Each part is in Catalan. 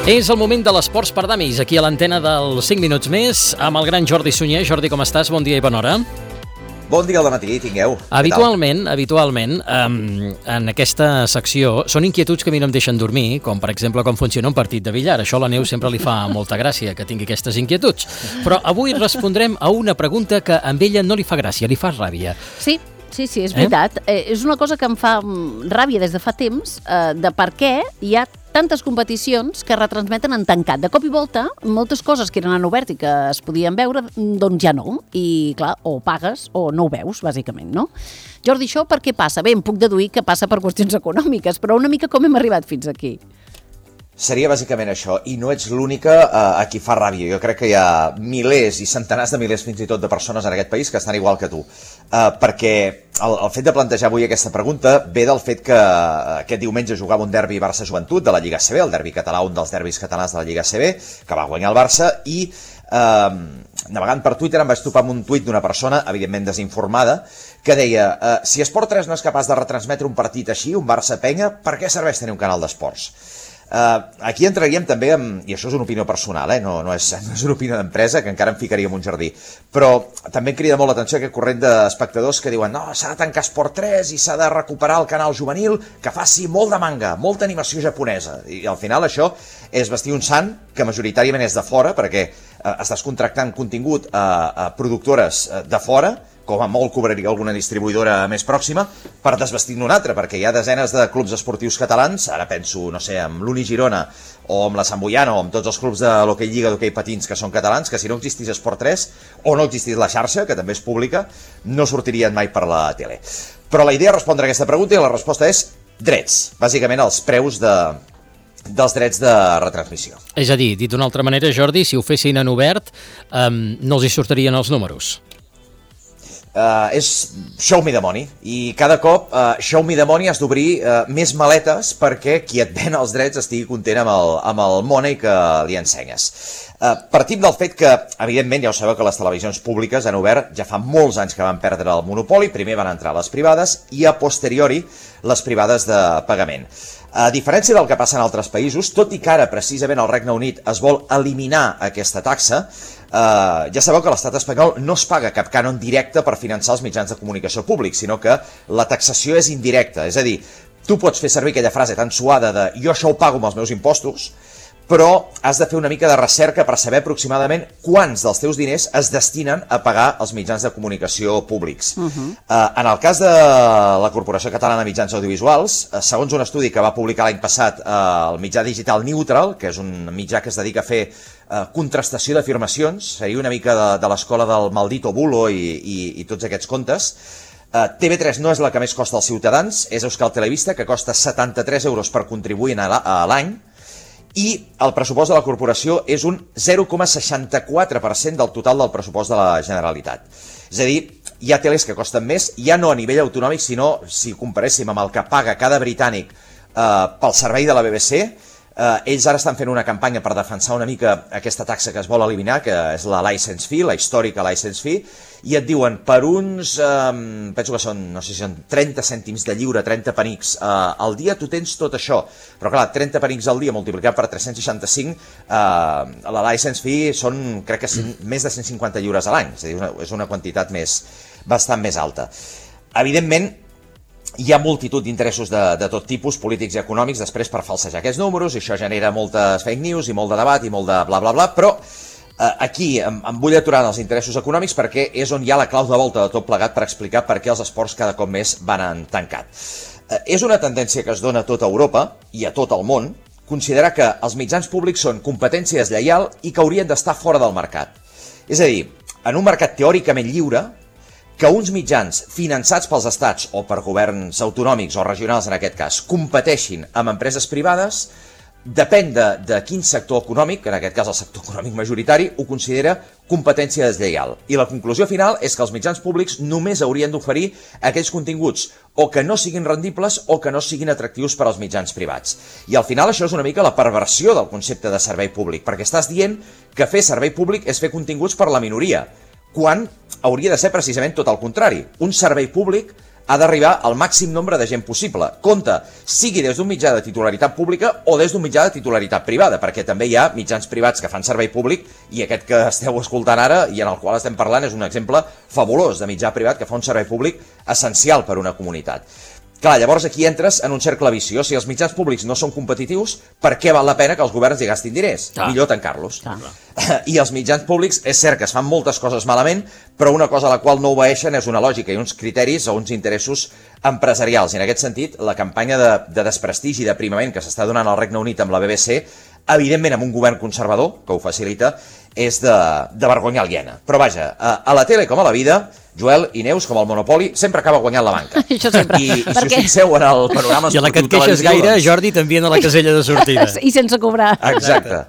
És el moment de l'Esports per Damis, aquí a l'antena dels 5 minuts més, amb el gran Jordi Sunyer. Jordi, com estàs? Bon dia i bona hora. Bon dia al dematí, tingueu. Habitualment, en aquesta secció són inquietuds que a mi no em deixen dormir, com per exemple com funciona un partit de billar. Això a la Neus sempre li fa molta gràcia que tingui aquestes inquietuds. Però avui respondrem a una pregunta que a ella no li fa gràcia, li fa ràbia. Sí, és veritat. És una cosa que em fa ràbia des de fa temps, de per què hi ha tantes competicions que retransmeten en tancat. De cop i volta, moltes coses que eren en obert i que es podien veure, doncs ja no. I, clar, o pagues o no ho veus, bàsicament, no? Jordi, això per què passa? Bé, em puc deduir que passa per qüestions econòmiques, però una mica com hem arribat fins aquí. Seria bàsicament això, i no ets l'única a qui fa ràbia. Jo crec que hi ha milers i centenars de milers fins i tot de persones en aquest país que estan igual que tu. Perquè el fet de plantejar avui aquesta pregunta ve del fet que aquest diumenge jugava un derbi Barça-Joventut de la Lliga ACB, el derbi català, un dels derbis catalans de la Lliga ACB, que va guanyar el Barça, i navegant per Twitter em vaig topar amb un tuit d'una persona, evidentment desinformada, que deia, si Esport 3 no és capaç de retransmetre un partit així, un Barça-Penya, per què serveix tenir un canal d'esports? Aquí entraríem també i això és una opinió personal, no és una opinió d'empresa, que encara em ficaria en un jardí, però també em crida molt l'atenció aquest corrent d'espectadors que diuen no, s'ha de tancar Esport 3 i s'ha de recuperar el canal juvenil que faci molt de manga, molta animació japonesa, i al final això és vestir un sant que majoritàriament és de fora, perquè estàs contractant contingut a productores de fora, com a molt cobraria alguna distribuïdora més pròxima, per desvestir-ne una altra, perquè hi ha desenes de clubs esportius catalans, ara penso, no sé, amb l'Uni Girona, o amb la Sant Boiana, o amb tots els clubs de l'hoquei Lliga d'hoquei patins que són catalans, que si no existís Esport 3, o no existís la xarxa, que també és pública, no sortirien mai per la tele. Però la idea és respondre a aquesta pregunta, i la resposta és drets, bàsicament els preus dels drets de retransmissió. És a dir, dit d'una altra manera, Jordi, si ho fessin en obert, no els hi sortirien els números. És show me the money, i cada cop show me the money has d'obrir més maletes perquè qui et ven els drets estigui content amb el money que li ensenyes. Partim del fet que, evidentment, ja ho sabeu que les televisions públiques han obert ja fa molts anys que van perdre el monopoli, primer van entrar les privades i a posteriori les privades de pagament. A diferència del que passa en altres països, tot i que ara precisament al Regne Unit es vol eliminar aquesta taxa, ja sabeu que a l'estat espanyol no es paga cap cànon directe per finançar els mitjans de comunicació públics, sinó que la taxació és indirecta, és a dir, tu pots fer servir aquella frase tan suada de jo això ho pago amb els meus impostos, però has de fer una mica de recerca per saber aproximadament quants dels teus diners es destinen a pagar els mitjans de comunicació públics. En el cas de la Corporació Catalana de Mitjans Audiovisuals, segons un estudi que va publicar l'any passat el mitjà digital Neutral, que és un mitjà que es dedica a fer contrastació d'afirmacions, seria una mica de l'escola del maldito bulo i tots aquests contes, TV3 no és la que més costa als ciutadans, és Euskal Telebista, que costa 73 euros per contribuint a l'any, i el pressupost de la corporació és un 0,64% del total del pressupost de la Generalitat. És a dir, hi ha teles que costen més, ja no a nivell autonòmic, sinó si comparéssim amb el que paga cada britànic pel servei de la BBC, ells ara estan fent una campanya per defensar una mica aquesta taxa que es vol eliminar, que és la license fee, la històrica license fee, i et diuen per uns, penso que són, no sé si són 30 cèntims de lliure, 30 penics al dia, tu tens tot això. Però clar, 30 penics al dia multiplicat per 365, la license fee són, crec que més de 150 lliures a l'any, és a dir, és una quantitat bastant més alta. Evidentment, hi ha multitud d'interessos de tot tipus, polítics i econòmics, després per falsejar aquests números, i això genera moltes fake news i molt de debat i molt de bla bla bla, però aquí em vull aturar en els interessos econòmics perquè és on hi ha la clau de volta de tot plegat per explicar per què els esports cada cop més van en tancat. És una tendència que es dona a tota Europa i a tot el món considerar que els mitjans públics són competència deslleial i que haurien d'estar fora del mercat. És a dir, en un mercat teòricament lliure, que uns mitjans finançats pels estats o per governs autonòmics o regionals en aquest cas competeixin amb empreses privades, depèn de quin sector econòmic, en aquest cas el sector econòmic majoritari, ho considera competència deslleial. I la conclusió final és que els mitjans públics només haurien d'oferir aquells continguts o que no siguin rendibles o que no siguin atractius per als mitjans privats. I al final això és una mica la perversió del concepte de servei públic, perquè estàs dient que fer servei públic és fer continguts per la minoria, quan hauria de ser precisament tot el contrari. Un servei públic ha d'arribar al màxim nombre de gent possible. Compte, sigui des d'un mitjà de titularitat pública o des d'un mitjà de titularitat privada, perquè també hi ha mitjans privats que fan servei públic i aquest que esteu escoltant ara i en el qual estem parlant és un exemple fabulós de mitjà privat que fa un servei públic essencial per a una comunitat. Clar, llavors aquí entres en un cercle viciós. Si els mitjans públics no són competitius, per què val la pena que els governs hi gastin diners? Millor tancar-los. I els mitjans públics, és cert que es fan moltes coses malament, però una cosa a la qual no obeeixen és una lògica i uns criteris o uns interessos empresarials. I en aquest sentit, la campanya de desprestigi i d'aprimament que s'està donant al Regne Unit amb la BBC, evidentment amb un govern conservador, que ho facilita, és de vergonya aliena. Però vaja, a la tele com a la vida, Joel i Neus, com el Monopoli, sempre acaba guanyant la banca. Això sempre. I si us fixeu en el panorama i a la que et queixes gaire, Jordi, t'envien a la casella de sortida. I sense cobrar. Exacte.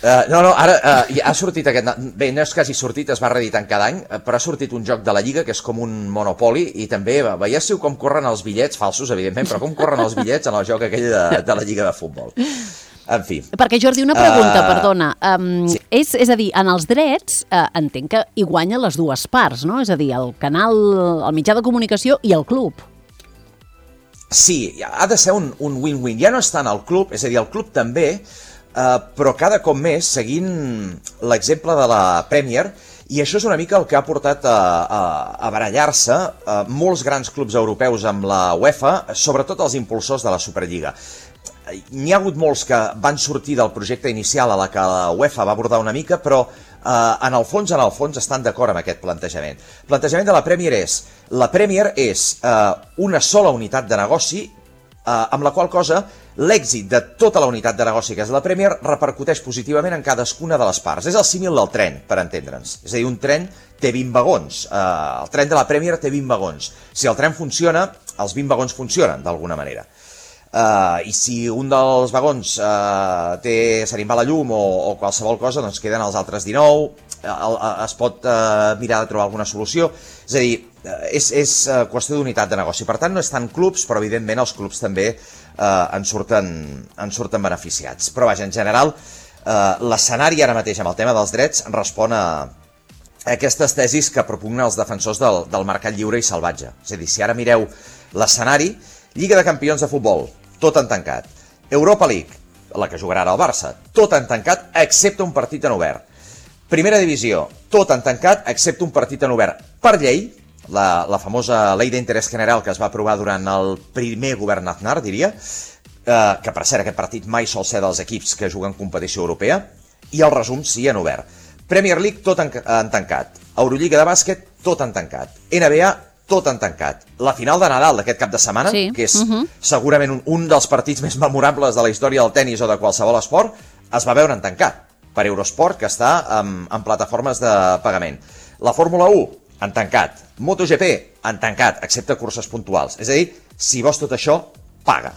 Ara ha sortit aquest... Bé, no és que hagi sortit, es va reeditant cada any, però ha sortit un joc de la Lliga que és com un Monopoli i també veiéssiu com corren els bitllets, falsos, evidentment, però com corren els bitllets en el joc aquell de la Lliga de futbol. En fi. Perquè, Jordi, una pregunta, perdona. Sí. És a dir, en els drets entenc que hi guanyen les dues parts, no? És a dir, el canal, el mitjà de comunicació i el club. Sí, ha de ser un win-win. Ja no és tant el club, és a dir, el club també, però cada cop més seguint l'exemple de la Premier, i això és una mica el que ha portat a barallar-se molts grans clubs europeus amb la UEFA, sobretot els impulsors de la Superliga. N'hi ha hagut molts que van sortir del projecte inicial a la que la UEFA va abordar una mica, però en el fons estan d'acord amb aquest plantejament. El plantejament de la Premier és una sola unitat de negoci, amb la qual cosa l'èxit de tota la unitat de negoci que és la Premier repercuteix positivament en cadascuna de les parts. És el símil del tren, per entendre'ns. És a dir, un tren té 20 vagons. El tren de la Premier té 20 vagons. Si el tren funciona, els 20 vagons funcionen, d'alguna manera. I si un dels vagons se li va la llum o qualsevol cosa, doncs queden els altres 19, es pot mirar de trobar alguna solució. És a dir, és qüestió d'unitat de negoci. Per tant, no és tant clubs, però evidentment els clubs també en surten beneficiats. Però vaja, en general, l'escenari ara mateix amb el tema dels drets respon a aquestes tesis que propugnen els defensors del mercat lliure i salvatge. És a dir, si ara mireu l'escenari, Lliga de Campions de futbol, tot en tancat. Europa League, la que jugarà ara el Barça, tot en tancat, excepte un partit en obert. Primera Divisió, tot en tancat, excepte un partit en obert. Per llei, la famosa Ley d'Interès General que es va aprovar durant el primer govern Aznar, diria, que per cert aquest partit mai sol ser dels equips que juguen competició europea, i el resum sí en obert. Premier League, tot en tancat. Eurolliga de bàsquet, tot en tancat. NBA, tot en tancat. La final de Nadal d'aquest cap de setmana, sí. Que és segurament un dels partits més memorables de la història del tennis o de qualsevol esport, es va veure en tancat per Eurosport, que està en plataformes de pagament. La Fórmula 1, en tancat. MotoGP, en tancat, excepte curses puntuals. És a dir, si vols tot això, paga.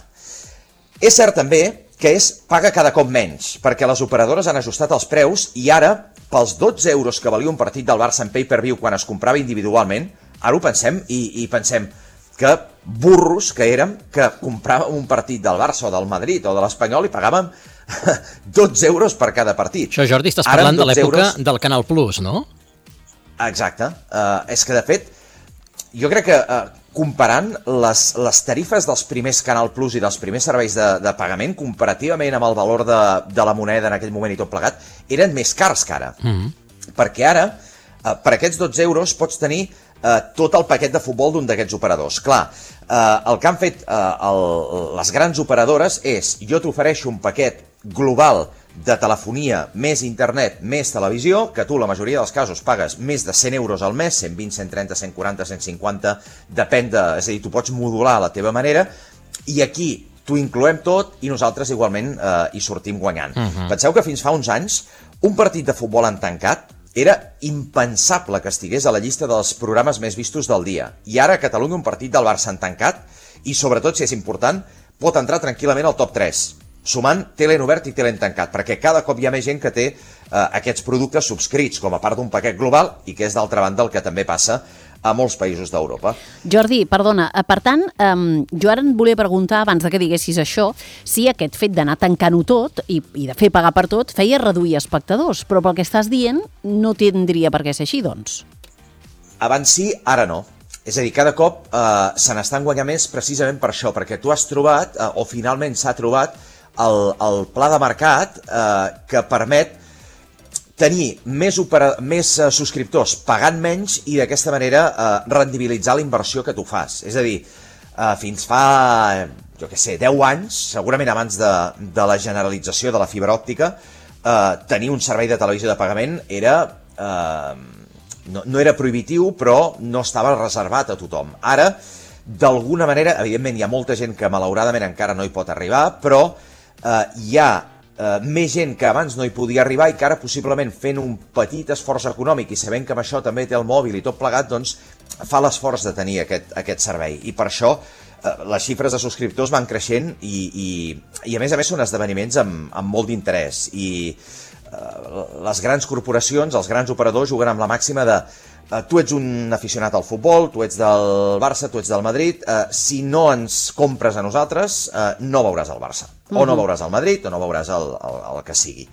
És cert també que paga cada cop menys, perquè les operadores han ajustat els preus i ara, pels 12 euros que valia un partit del Barça en pay-per-view quan es comprava individualment, ara ho pensem i pensem que burros que érem que compràvem un partit del Barça o del Madrid o de l'Espanyol i pagàvem 12 euros per cada partit. Això, Jordi, estàs parlant de l'època del Canal Plus, no? Exacte. És que, de fet, jo crec que comparant les tarifes dels primers Canal Plus i dels primers serveis de pagament, comparativament amb el valor de la moneda en aquell moment i tot plegat, eren més cars que ara. Perquè ara, per aquests 12 euros, pots tenir tot el paquet de futbol d'un d'aquests operadors. Clar, el que han fet les grans operadores és jo t'ofereixo un paquet global de telefonia, més internet, més televisió, que tu la majoria dels casos pagues més de 100 euros al mes, 120, 130, 140, 150, depèn és a dir, tu pots modular a la teva manera, i aquí t'ho incloem tot i nosaltres igualment hi sortim guanyant. Penseu que fins fa uns anys un partit de futbol en tancat era impensable que estigués a la llista dels programes més vistos del dia. I ara a Catalunya un partit del Barça en tancat, i sobretot, si és important, pot entrar tranquil·lament al top 3, sumant tele en obert i tele en tancat, perquè cada cop hi ha més gent que té aquests productes subscrits com a part d'un paquet global i que és d'altra banda el que també passa a molts països d'Europa. Jordi, perdona, per tant, jo ara et volia preguntar, abans de que diguessis això, si aquest fet d'anar tancant-ho tot i de fer pagar per tot feia reduir espectadors, però pel que estàs dient no tindria per què ser així, doncs. Abans sí, ara no. És a dir, cada cop se n'estan guanyant més precisament per això, perquè tu has trobat, o finalment s'ha trobat, el pla de mercat que permet tenir més subscriptors pagant menys i d'aquesta manera rendibilitzar la inversió que tu fas. És a dir, fins fa, jo què sé, 10 anys, segurament abans de la generalització de la fibra òptica, tenir un servei de televisió de pagament era... no era prohibitiu, però no estava reservat a tothom. Ara, d'alguna manera, evidentment hi ha molta gent que malauradament encara no hi pot arribar, però hi ha més gent que abans no hi podia arribar i que ara possiblement fent un petit esforç econòmic i sabent que amb això també té el mòbil i tot plegat, doncs fa l'esforç de tenir aquest servei. I per això les xifres de subscriptors van creixent i a més són esdeveniments amb molt d'interès. I les grans corporacions, els grans operadors juguen amb la màxima de tu ets un aficionat al futbol, tu ets del Barça, tu ets del Madrid, si no ens compres a nosaltres, no veuràs el Barça, o no veuràs el Madrid, o no veuràs el que sigui.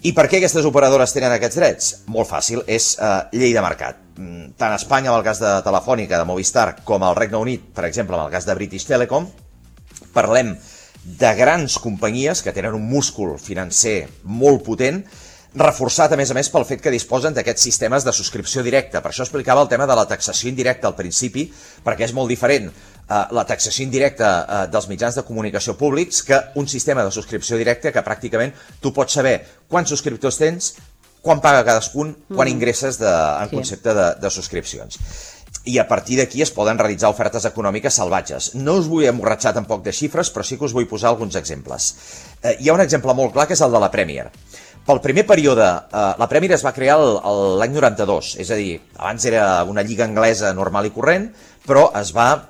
I per què aquestes operadores tenen aquests drets? Molt fàcil, és llei de mercat. Tant a Espanya, amb el cas de Telefònica, de Movistar, com al Regne Unit, per exemple, amb el cas de British Telecom, parlem de grans companyies que tenen un múscul financer molt potent, reforçat a més pel fet que disposen d'aquests sistemes de subscripció directa. Per això explicava el tema de la taxació indirecta al principi, perquè és molt diferent la taxació indirecta dels mitjans de comunicació públics que un sistema de subscripció directa que pràcticament tu pots saber quants subscriptors tens, quan paga cadascun, quan ingresses en concepte de subscripcions. I a partir d'aquí es poden realitzar ofertes econòmiques salvatges. No us vull emborratxar tampoc de xifres, però sí que us vull posar alguns exemples. Hi ha un exemple molt clar que és el de la Premier. Pel primer període, la Premier es va crear l'any 92, és a dir, abans era una lliga anglesa normal i corrent, però es va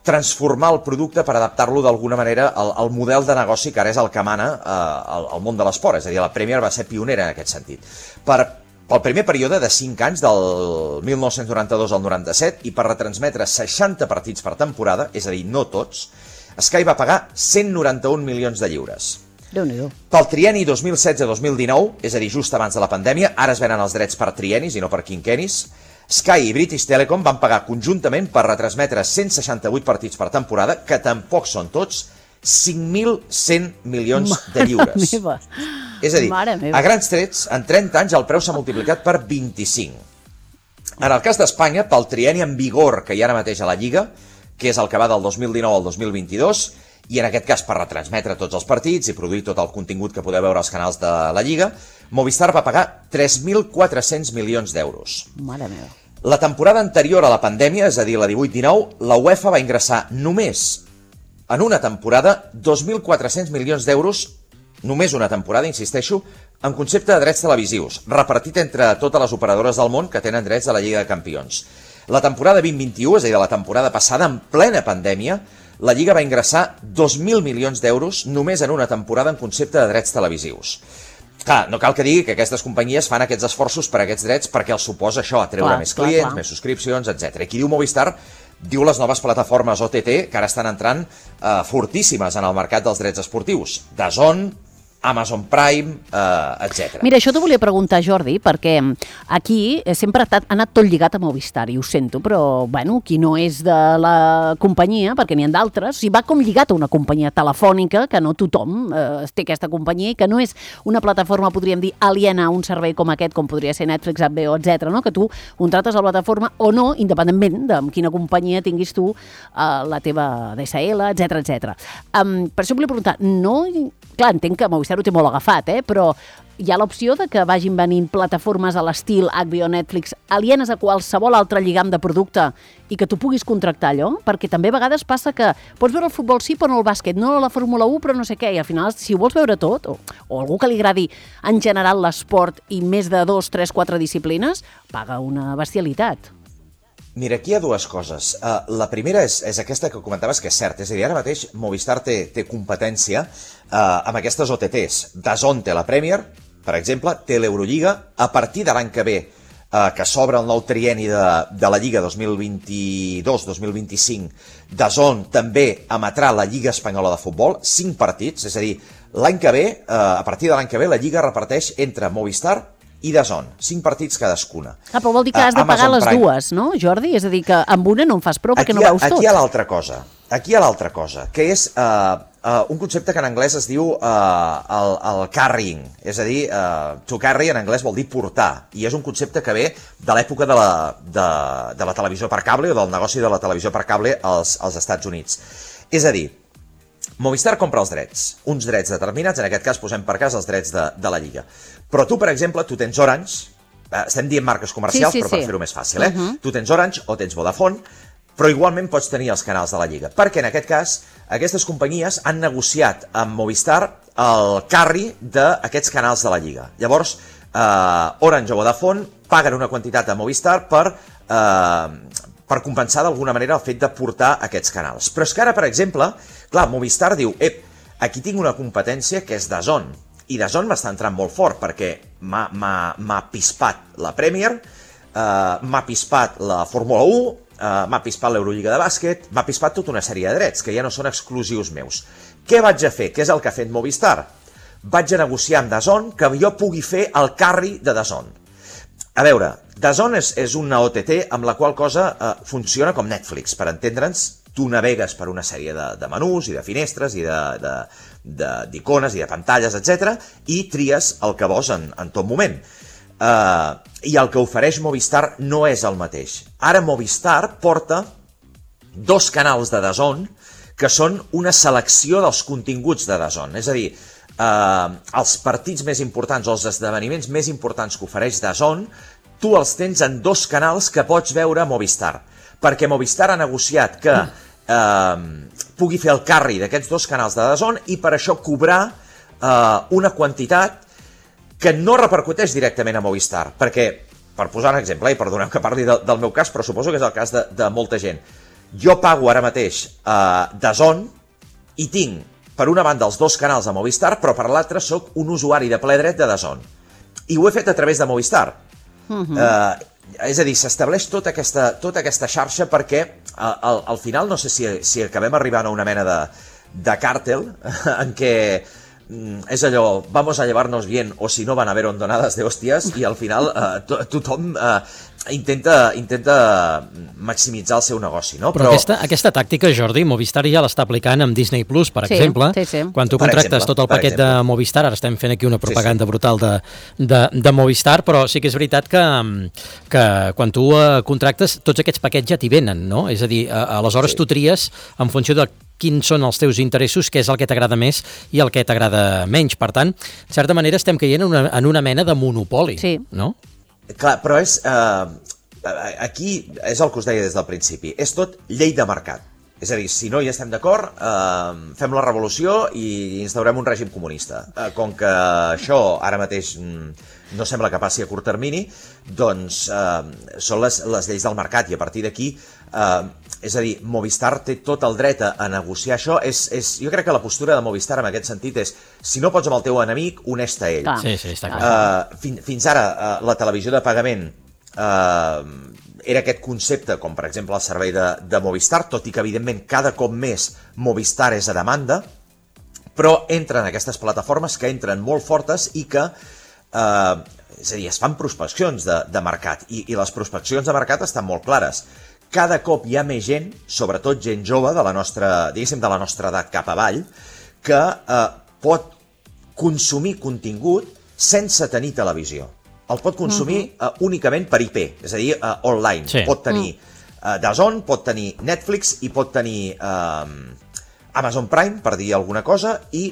transformar el producte per adaptar-lo d'alguna manera al model de negoci que ara és el que mana al món de l'esport, és a dir, la Premier va ser pionera en aquest sentit. Pel primer període de 5 anys, del 1992 al 97, i per retransmetre 60 partits per temporada, és a dir, no tots, Sky va pagar 191 milions de lliures. Déu-n'hi-do. Pel trienni 2016-2019, és a dir, just abans de la pandèmia, ara es venen els drets per triennis i no per quinquennis, Sky i British Telecom van pagar conjuntament per retransmetre 168 partits per temporada, que tampoc són tots, 5.100 milions de lliures. Mare meva. És a dir, a grans trets, en 30 anys el preu s'ha multiplicat per 25. En el cas d'Espanya, pel trienni en vigor que hi ha ara mateix a la Lliga, que és el que va del 2019 al 2022, i en aquest cas per retransmetre tots els partits i produir tot el contingut que podeu veure als canals de la Lliga, Movistar va pagar 3.400 milions d'euros. Mare meva. La temporada anterior a la pandèmia, és a dir, la 18-19, la UEFA va ingressar només en una temporada 2.400 milions d'euros, només una temporada, insisteixo, en concepte de drets televisius, repartit entre totes les operadores del món que tenen drets de la Lliga de Campions. La temporada 2021, és a dir, la temporada passada, en plena pandèmia, la Lliga va ingressar 2.000 milions d'euros només en una temporada en concepte de drets televisius. Clar, no cal que digui que aquestes companyies fan aquests esforços per aquests drets perquè els suposa això, atreure més clients, més subscripcions, etc. I qui diu Movistar diu les noves plataformes OTT que ara estan entrant fortíssimes en el mercat dels drets esportius. DAZN, Amazon Prime, etc. Mira, això t'ho volia preguntar, Jordi, perquè aquí sempre ha anat tot lligat a Movistar, i ho sento, però, bueno, qui no és de la companyia, perquè n'hi ha d'altres, o sigui, va com lligat a una companyia telefònica, que no tothom té aquesta companyia, i que no és una plataforma, podríem dir, aliena a un servei com aquest, com podria ser Netflix, HBO, etc., no? Que tu contractes a la plataforma o no, independentment de quina companyia tinguis tu la teva DSL, etc. Per això volia preguntar, no... Clar, entenc que Movistar ho té molt agafat, però hi ha l'opció de que vagin venint plataformes a l'estil HBO, Netflix, alienes a qualsevol altre lligam de producte i que tu puguis contractar allò? Perquè també a vegades passa que pots veure el futbol sí, però no el bàsquet, no la Fórmula 1, però no sé què, i al final, si ho vols veure tot, o algú que li agradi en general l'esport i més de 2, 3, 4 disciplines, paga una bestialitat. Mira, aquí hi ha dues coses. La primera és aquesta que comentaves, que és cert. És a dir, ara mateix Movistar té competència amb aquestes OTTs. DAZN té la Premier, per exemple, té l'Eurolliga. A partir de l'any que ve, que s'obre el nou trienni de la Lliga 2022-2025, DAZN també emetrà la Lliga Espanyola de Futbol, 5 partits, és a dir, l'any que ve, a partir de l'any que ve, la Lliga reparteix entre Movistar i DAZN, 5 partits cadascuna. Però vol dir que has de pagar les dues, no, Jordi? És a dir, que amb una no en fas prou perquè no veus tot. Aquí hi ha l'altra cosa, que és un concepte que en anglès es diu el carrying, és a dir, to carry en anglès vol dir portar, i és un concepte que ve de l'època de la televisió per cable o del negoci de la televisió per cable als Estats Units. És a dir, Movistar compra els drets, uns drets determinats, en aquest cas posem per cas els drets de la Lliga. Però tu, per exemple, tu tens Orange, estem dient marques comercials, però per fer-ho més fàcil, tu tens Orange o tens Vodafone, però igualment pots tenir els canals de la Lliga, perquè en aquest cas aquestes companyies han negociat amb Movistar el carry d'aquests canals de la Lliga. Llavors, Orange o Vodafone paguen una quantitat a Movistar per compensar d'alguna manera el fet de portar aquests canals. Però és que ara, per exemple, clar, Movistar diu, aquí tinc una competència que és DAZN, i DAZN m'està entrant molt fort perquè m'ha pispat la Premier, m'ha pispat la Fórmula 1, m'ha pispat l'Eurolliga de bàsquet, m'ha pispat tota una sèrie de drets que ja no són exclusius meus. Què vaig a fer? Què és el que ha fet Movistar? Vaig a negociar amb DAZN que jo pugui fer el carry de DAZN. A veure, DAZN és una OTT amb la qual cosa funciona com Netflix, per entendre'ns. Tu navegues per una sèrie de menús i de finestres i d'icones i de pantalles, etc. i tries el que vols en tot moment. I el que ofereix Movistar no és el mateix. Ara Movistar porta 2 canals de DAZN que són una selecció dels continguts de DAZN. És a dir, els partits més importants o els esdeveniments més importants que ofereix DAZN, tu els tens en 2 canals que pots veure a Movistar, perquè Movistar ha negociat que pugui fer el carry d'aquests 2 canals de DAZN i per això cobrar una quantitat que no repercuteix directament a Movistar, perquè, per posar un exemple, i perdoneu que parli del meu cas, però suposo que és el cas de molta gent, jo pago ara mateix DAZN i tinc per una banda els 2 canals de Movistar, però per l'altra sóc un usuari de ple dret de DAZN. I ho he fet a través de Movistar. És a dir, s'estableix tota aquesta xarxa perquè al final no sé si acabem arribant a una mena de càrtel en què és allò, vamos a llevarnos bien o si no van a haber hondonadas de hostias i al final tothom intenta maximitzar el seu negoci, no? Però aquesta tàctica, Jordi, Movistar ja l'està aplicant amb Disney Plus, per exemple. Sí. Quan tu contractes tot el paquet de Movistar, ara estem fent aquí una propaganda brutal de Movistar, però sí que és veritat que quan tu contractes, tots aquests paquets ja t'hi venen, no? És a dir, aleshores tu tries en funció de quins són els teus interessos, què és el que t'agrada més i el que t'agrada menys. Per tant, de certa manera estem caient en una mena de monopoli, no? Clar, però aquí és el que us deia des del principi, és tot llei de mercat. És a dir, si no hi estem d'acord, fem la revolució i instaurem un règim comunista. Com que això ara mateix no sembla que passi a curt termini, doncs són les lleis del mercat i a partir d'aquí, és a dir, Movistar té tot el dret a negociar això. Jo crec que la postura de Movistar en aquest sentit és, si no pots amb el teu enemic, uneix-te a ell. Sí, està clar. Fins ara, la televisió de pagament era aquest concepte, com per exemple el servei de Movistar, tot i que evidentment cada cop més Movistar és a demanda, però entren aquestes plataformes que entren molt fortes i que, és a dir, es fan prospeccions de mercat i les prospeccions de mercat estan molt clares. Cada cop hi ha més gent, sobretot gent jove de la nostra, diguéssim, de la nostra edat cap avall, que pot consumir contingut sense tenir televisió. El pot consumir únicament per IP, és a dir, online. Sí. Pot tenir DAZN, pot tenir Netflix i pot tenir Amazon Prime, per dir alguna cosa, i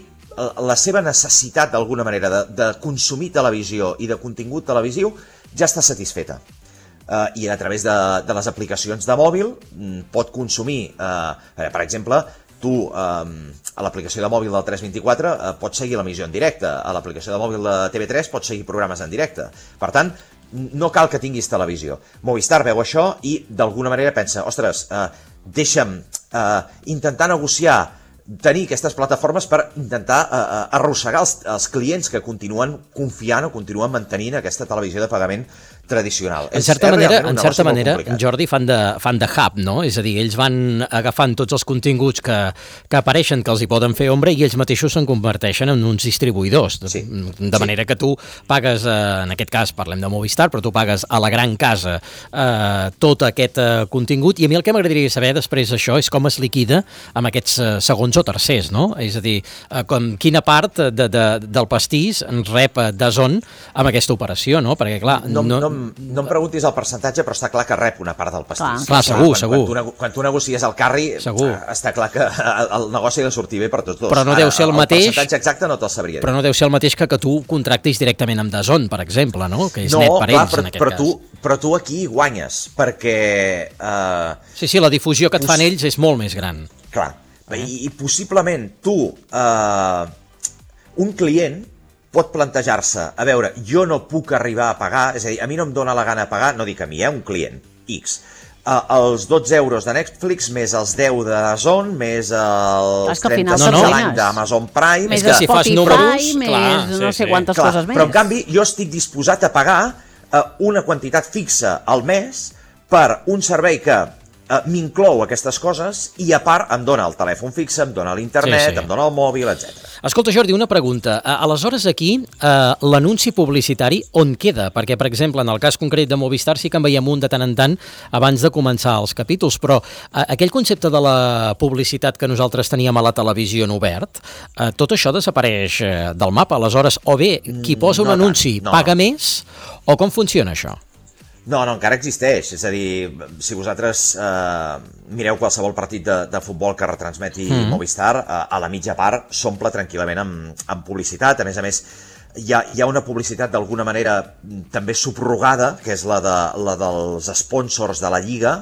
la seva necessitat, d'alguna manera, de consumir televisió i de contingut televisiu ja està satisfeta. I a través de les aplicacions de mòbil pot consumir, per exemple, tu a l'aplicació de mòbil del 324 pots seguir l'emissió en directe, a l'aplicació de mòbil de TV3 pots seguir programes en directe. Per tant, no cal que tinguis televisió. Movistar veu això i d'alguna manera pensa, ostres, deixa'm intentar negociar, tenir aquestes plataformes per intentar arrossegar els clients que continuen confiant o continuen mantenint aquesta televisió de pagament tradicional. En certa manera, Jordi, fan de hub, no? És a dir, ells van agafant tots els continguts que apareixen, que els hi poden fer ombra, i ells mateixos se'n converteixen en uns distribuïdors. De manera que tu pagues, en aquest cas parlem de Movistar, però tu pagues a la gran casa tot aquest contingut, i a mi el que m'agradaria saber després d'això és com es liquida amb aquests segons o tercers, no? És a dir, quina part del pastís rep DAZN amb aquesta operació, no? Perquè, clar... No em preguntis el percentatge, però està clar que rep una part del pastís. Clar, segur. Quan tu negocies el carri, està clar que el negoci ha de sortir bé per tots dos. Però no deu ser el mateix... El percentatge exacte no te'l sabria dir. Però no deu ser el mateix que tu contractis directament amb DAZN, per exemple, no? Que és net per ells, en aquest cas. Però tu aquí guanyes, perquè... Sí, la difusió que et fan ells és molt més gran. Clar, i possiblement tu, un client, pot plantejar-se, a veure, jo no puc arribar a pagar, és a dir, a mi no em dóna la gana de pagar, no dic a mi, un client, X, els 12 euros de Netflix, més els 10 de DAZN, més els 35 de l'any d'Amazon Prime... Més de Spotify, més no sé quantes coses més. Però en canvi, jo estic disposat a pagar una quantitat fixa al mes per un servei que m'inclou aquestes coses i a part em dona el telèfon fixe, em dona l'internet, em dona el mòbil, etc. Escolta, Jordi, una pregunta. Aleshores aquí, l'anunci publicitari on queda? Perquè, per exemple, en el cas concret de Movistar sí que en veiem un de tant en tant abans de començar els capítols, però aquell concepte de la publicitat que nosaltres teníem a la televisió en obert, tot això desapareix del mapa. Aleshores, o bé qui posa un anunci paga més, o com funciona això? No, encara existeix, és a dir, si vosaltres mireu qualsevol partit de futbol que retransmeti Movistar, a la mitja part s'omple tranquil·lament amb publicitat, a més, hi ha una publicitat d'alguna manera també subrogada, que és la dels sponsors de la Lliga,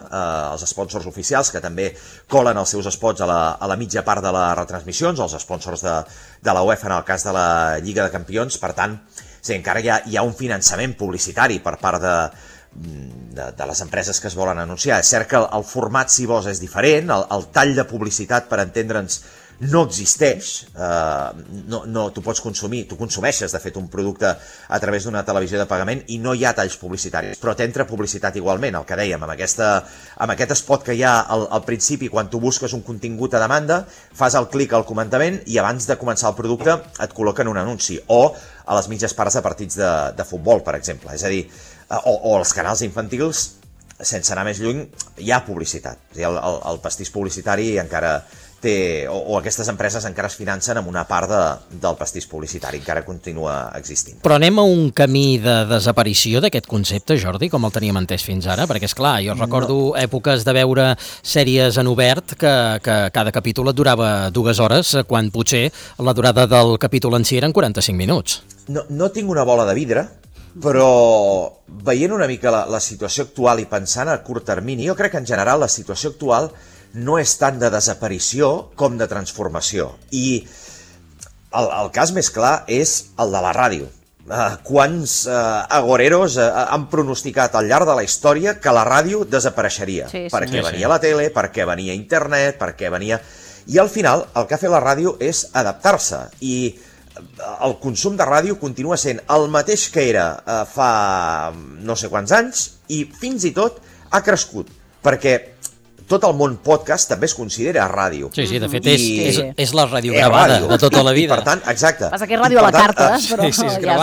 els sponsors oficials, que també colen els seus spots a la mitja part de les retransmissions, els sponsors de la UEFA en el cas de la Lliga de Campions, per tant, encara hi ha un finançament publicitari per part de les empreses que es volen anunciar. És cert que el format, si vols, és diferent, el tall de publicitat, per entendre'ns, no existeix, tu pots consumir, tu consumeixes de fet un producte a través d'una televisió de pagament i no hi ha talls publicitaris, però t'entra publicitat igualment, el que dèiem, amb aquest spot que hi ha al principi, quan tu busques un contingut a demanda, fas el clic al comentament i abans de començar el producte et col·loquen un anunci, o a les mitges parts de partits de futbol, per exemple, és a dir, o als canals infantils, sense anar més lluny, hi ha publicitat. El pastís publicitari encara té, o aquestes empreses encara es financen amb una part del pastís publicitari, encara continua existint. Però anem a un camí de desaparició d'aquest concepte, Jordi, com el teníem entès fins ara? Perquè, esclar, jo recordo èpoques de veure sèries en obert que cada capítol et durava 2 hores, quan potser la durada del capítol en si eren 45 minuts. No tinc una bola de vidre, però veient una mica la situació actual i pensant a curt termini, jo crec que en general la situació actual no és tant de desaparició com de transformació. I el cas més clar és el de la ràdio. Quants agoreros han pronosticat al llarg de la història que la ràdio desapareixeria? Perquè venia la tele, perquè venia internet, perquè venia... I al final el que ha fet la ràdio és adaptar-se i el consum de ràdio continua sent el mateix que era fa no sé quants anys i fins i tot ha crescut, perquè tot el món podcast també es considera ràdio. Sí, de fet és la ràdio gravada de tota la vida. I per tant, exacte. Passa que és ràdio a la carta, però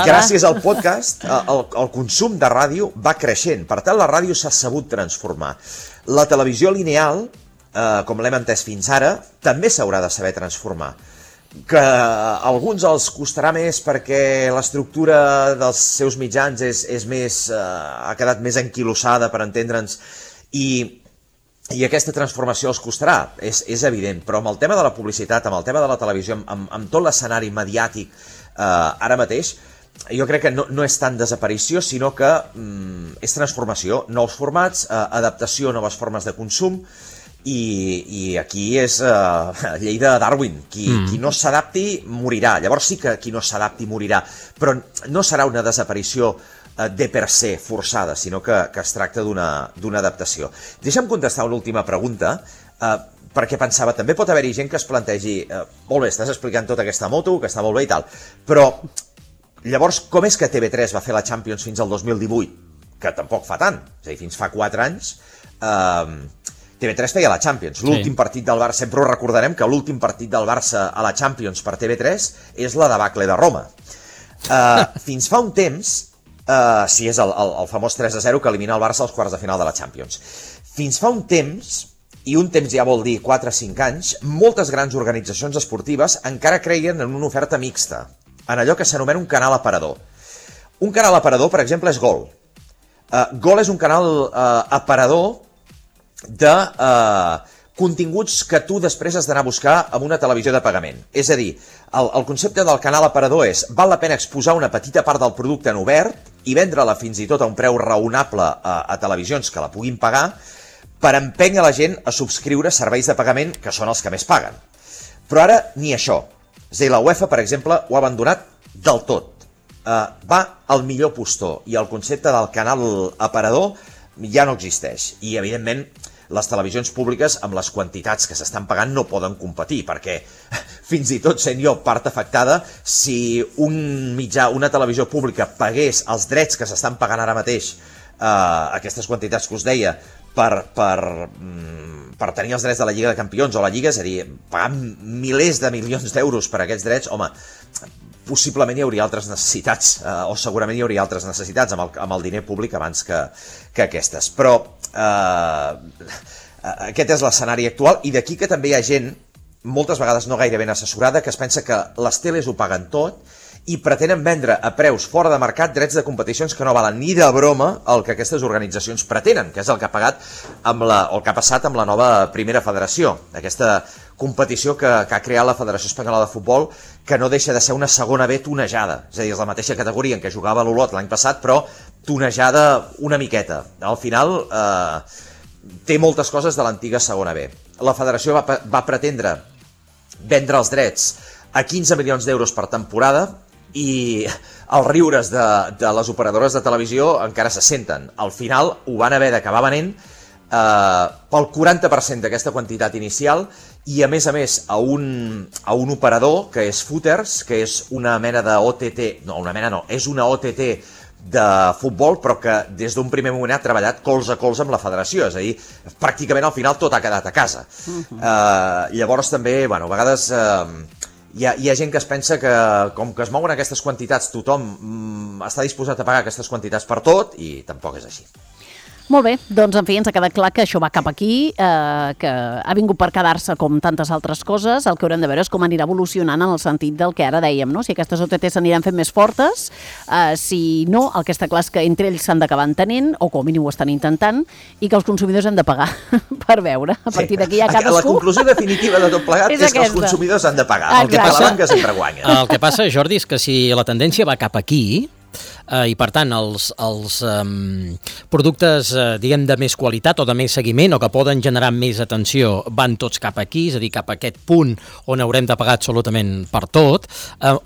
gràcies al podcast, el consum de ràdio va creixent. Per tant, la ràdio s'ha sabut transformar. La televisió lineal, com l'hem entès fins ara, també s'haurà de saber transformar. Que a alguns els costarà més perquè l'estructura dels seus mitjans ha quedat més enquilossada, per entendre'ns, i aquesta transformació els costarà, és evident, però amb el tema de la publicitat, amb el tema de la televisió, amb tot l'escenari mediàtic ara mateix, jo crec que no és tant desaparició, sinó que és transformació, nous formats, adaptació a noves formes de consum, i aquí és llei de Darwin, qui no s'adapti morirà. Llavors sí que qui no s'adapti morirà, però no serà una desaparició de per se forçada, sinó que es tracta d'una adaptació. Deixa'm contestar una última pregunta, perquè pensava, també pot haver-hi gent que es plantegi, molt bé, estàs explicant tota aquesta moto, que està molt bé i tal, però llavors com és que TV3 va fer la Champions fins al 2018? que tampoc fa tant, és a dir, fins fa 4 anys, TV3 feia la Champions. L'últim partit del Barça, sempre ho recordarem que l'últim partit del Barça a la Champions per TV3 és la debacle de Roma. Fins fa un temps, si és el famós 3-0 que elimina el Barça als quarts de final de la Champions. Fins fa un temps, i un temps ja vol dir 4 o 5 anys, moltes grans organitzacions esportives encara creien en una oferta mixta, en allò que s'anomena un canal aparador. Un canal aparador, per exemple, és Gol. Gol és un canal aparador de continguts que tu després has d'anar a buscar amb una televisió de pagament. És a dir, el concepte del canal aparador és val la pena exposar una petita part del producte en obert i vendre-la fins i tot a un preu raonable a televisions que la puguin pagar per empènyer la gent a subscriure serveis de pagament que són els que més paguen. Però ara ni això. És a dir, la UEFA, per exemple, ho ha abandonat del tot. Va al millor postor i el concepte del canal aparador ja no existeix. I, evidentment, les televisions públiques amb les quantitats que s'estan pagant no poden competir, perquè fins i tot sent jo part afectada, si un mitjà, una televisió pública pagués els drets que s'estan pagant ara mateix, aquestes quantitats que us deia, per tenir els drets de la Lliga de Campions o la Lliga, és a dir, pagant milers de milions d'euros per aquests drets, home, possiblement hi hauria altres necessitats, o segurament hi hauria altres necessitats amb el diner públic abans que aquestes. Però aquest és l'escenari actual, i d'aquí que també hi ha gent, moltes vegades no gaire ben assessorada, que es pensa que les teles ho paguen tot i pretenen vendre a preus fora de mercat drets de competicions que no valen ni de broma el que aquestes organitzacions pretenen, que és el que ha pagat o el que ha passat amb la nova Primera Federació, aquesta competició que ha creat la Federació Espanyola de Futbol, que no deixa de ser una segona B tunejada, és a dir, és la mateixa categoria en què jugava l'Olot l'any passat, però tunejada una miqueta. Al final té moltes coses de l'antiga segona B. La federació va pretendre vendre els drets a 15 milions d'euros per temporada, i els riures de les operadores de televisió encara se senten. Al final ho van haver d'acabar venent pel 40% d'aquesta quantitat inicial, i a més a un operador que és Footers, que és una mena de OTT, no, una mena no, és una OTT de futbol, però que des d'un primer moment ha treballat colze a colze amb la federació, és a dir, pràcticament al final tot ha quedat a casa. Llavors també, bueno, a vegades hi ha gent que es pensa que com que es mouen aquestes quantitats tothom està disposat a pagar aquestes quantitats per tot, i tampoc és així. Molt bé, doncs en fi, ens ha quedat clar que això va cap aquí, que ha vingut per quedar-se com tantes altres coses. El que haurem de veure és com anirà evolucionant en el sentit del que ara dèiem, no? Si aquestes OTT s'aniran fent més fortes, si no, el que està clar és que entre ells s'han d'acabar entenent, o com a mínim ho estan intentant, i que els consumidors hem de pagar per veure. A partir d'aquí ja cadascú... La conclusió definitiva de tot plegat és que els consumidors han de pagar. El que passa, la banca sempre guanya. El que passa, Jordi, és que si la tendència va cap aquí, i per tant els productes diguem de més qualitat o de més seguiment o que poden generar més atenció van tots cap aquí, és a dir, cap a aquest punt on haurem de pagar absolutament per tot,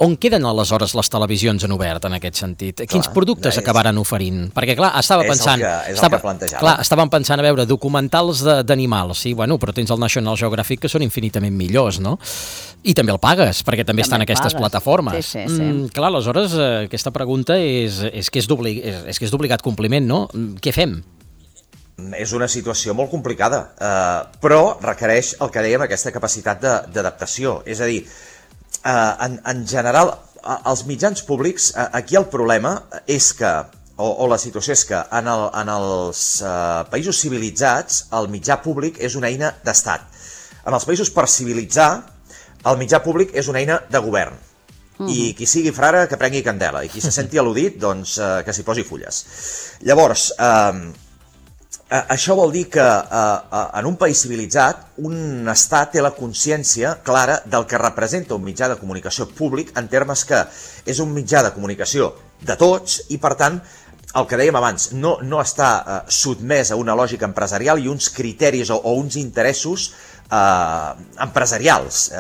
on queden aleshores les televisions en obert en aquest sentit? Quins productes acabaran oferint? Perquè clar, estàvem pensant a veure documentals d'animals, sí, bueno, però tens el National Geographic que són infinitament millors, no? I també el pagues, perquè també estan aquestes plataformes. Sí. Clar, aleshores aquesta pregunta és que és d'obligat compliment, no? Què fem? És una situació molt complicada, però requereix el que dèiem, aquesta capacitat d'adaptació. És a dir, en general, els mitjans públics, aquí el problema és que, o la situació és que en els països civilitzats el mitjà públic és una eina d'estat. En els països per civilitzar, el mitjà públic és una eina de govern. I qui sigui frare que prengui candela, i qui se senti al·ludit, doncs que s'hi posi fulles. Llavors, això vol dir que en un país civilitzat un estat té la consciència clara del que representa un mitjà de comunicació públic, en termes que és un mitjà de comunicació de tots i, per tant, el que dèiem abans, no està sotmès a una lògica empresarial i uns criteris o uns interessos empresarials.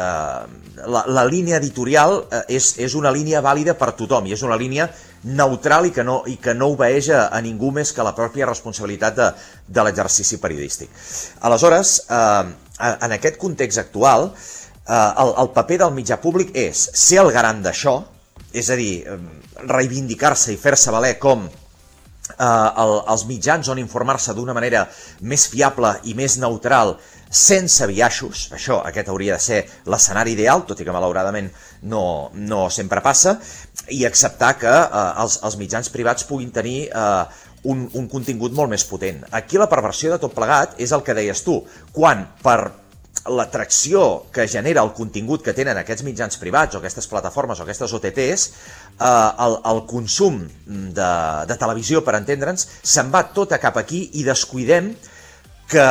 La línia editorial és una línia vàlida per tothom i és una línia neutral i que no obeeix a ningú més que la pròpia responsabilitat de l'exercici periodístic. Aleshores, en aquest context actual, el paper del mitjà públic és ser el garant d'això, és a dir, reivindicar-se i fer-se valer com els mitjans on informar-se d'una manera més fiable i més neutral, sense biaixos. Aquest hauria de ser l'escenari ideal, tot i que malauradament no sempre passa, i acceptar que els mitjans privats puguin tenir un contingut molt més potent. Aquí la perversió de tot plegat és el que deies tu, quan per l'atracció que genera el contingut que tenen aquests mitjans privats o aquestes plataformes o aquestes OTTs, el consum de televisió, per entendre'ns, se'n va tota cap aquí i descuidem que,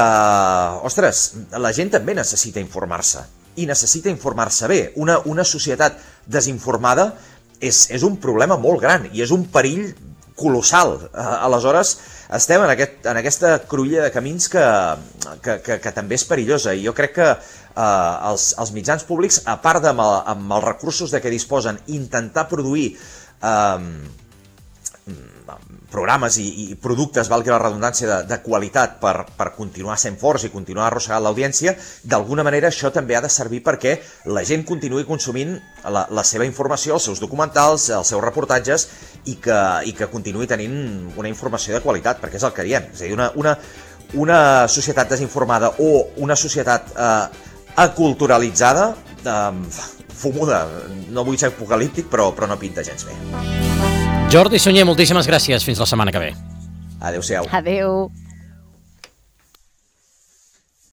ostres, la gent també necessita informar-se i necessita informar-se bé. Una societat desinformada és un problema molt gran i és un perill colossal. Aleshores, estem en aquesta cruïlla de camins que també és perillosa, i jo crec que els mitjans públics, a part amb els recursos de què disposen, intentar produir programes i productes, valgui la redundància, de qualitat per continuar sent forts i continuar arrossegant l'audiència, d'alguna manera això també ha de servir perquè la gent continuï consumint la seva informació, els seus documentals, els seus reportatges, i que continuï tenint una informació de qualitat, perquè és el que diem. És a dir, una societat desinformada o una societat aculturalitzada, fumuda, no vull ser apocalíptic, però no pinta gens bé. Jordi Sunyer, moltíssimes gràcies. Fins la setmana que ve. Adéu-siau. Adéu.